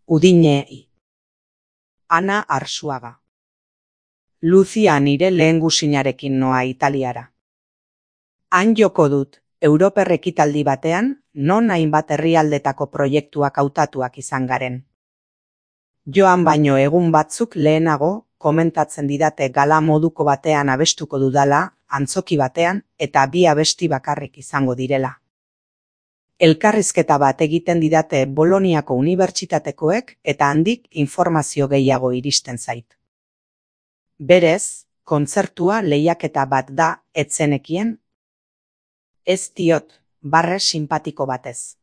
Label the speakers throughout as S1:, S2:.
S1: Udine. Ana Arsuaga. Lucia nire lehengusinarekin noa Italiara. Han joko dut, Europer ekitaldi batean, non hainbat herrialdetako proiektuak hautatuak izan garen. Joan baino egun batzuk lehenago, komentatzen didate gala moduko batean abestuko dudala, antzoki batean, eta 2 abesti bakarrik izango direla. Elkarrizketa bat egiten didate Boloniako unibertsitatekoek eta handik informazio gehiago iristen zait. Berez, kontzertua lehiaketa bat da, etzenekien? Ez diot, barre sinpatiko batez.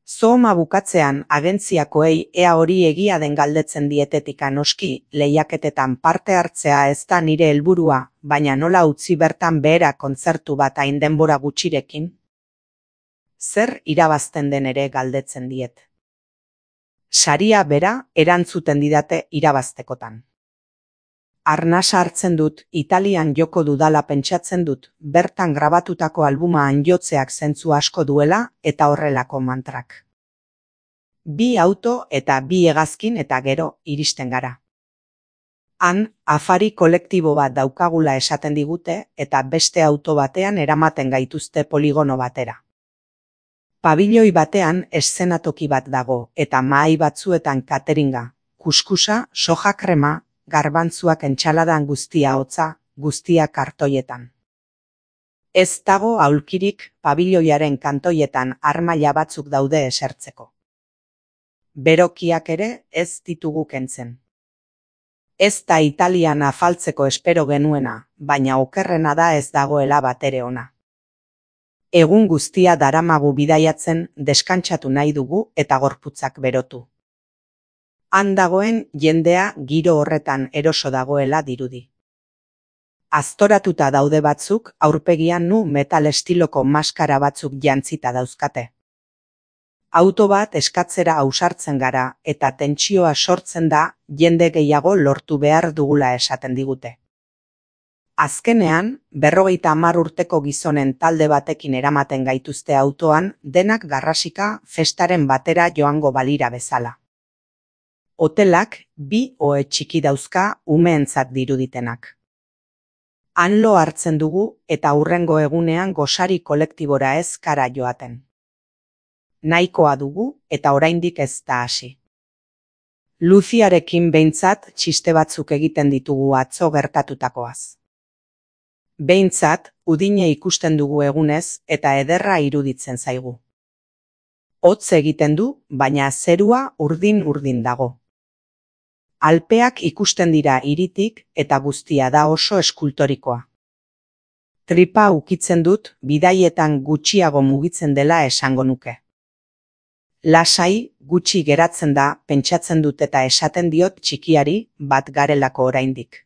S1: Zooma bukatzean agentziakoei ea hori egia den galdetzen dietetika noski, lehiaketetan parte hartzea ez da nire helburua, baina nola utzi bertan behera kontzertu bat hain denbora gutxirekin? Zer irabazten den ere galdetzen diet. Saria bera erantzuten didate irabaztekotan. Arnasa hartzen dut, Italian joko dudala pentsatzen dut, bertan grabatutako albumaan jotzeak zentzu asko duela eta horrelako mantrak. 2 auto eta 2 hegazkin eta gero iristen gara. Han, afari kolektibo bat daukagula esaten digute eta beste auto batean eramaten gaituzte poligono batera. Pabilioi batean eszenatoki bat dago eta mahai batzuetan cateringa, kuskusa, soja krema, garbantzuak entxaladan guztia hotza, guztia kartoietan. Ez dago aulkirik pabilioiaren kantoietan armaila batzuk daude esertzeko. Berokiak ere ez ditugu kentzen. Ez da Italian afaltzeko espero genuena, baina okerrena da ez dagoela batere ona. Egun guztia daramagu bidaiatzen deskantsatu nahi dugu eta gorputzak berotu. Han dagoen jendea giro horretan eroso dagoela dirudi. Aztoratuta daude batzuk aurpegian nu metal estiloko maskara batzuk jantzita dauzkate. Auto bat eskatzera ausartzen gara eta tentsioa sortzen da jende gehiago lortu behar dugula esaten digute. Azkenean, 50 urteko gizonen talde batekin eramaten gaituzte autoan denak garrasika festaren batera joango balira bezala. Hotelak 2 ohe txiki dauzka umeentzat diruditenak. Han lo hartzen dugu eta hurrengo egunean gosari kolektibora ez kara joaten. Nahikoa dugu eta oraindik ez da hasi. Luciarekin behintzat txiste batzuk egiten ditugu atzo gertatutakoaz. Behintzat, Udine ikusten dugu egunez eta ederra iruditzen zaigu. Hotz egiten du, baina zerua urdin-urdin dago. Alpeak ikusten dira hiritik eta guztia da oso eskultorikoa. Tripa ukitzen dut bidaietan gutxiago mugitzen dela esango nuke. Lasai, gutxi geratzen da, pentsatzen dut eta esaten diot txikiari bat garelako oraindik.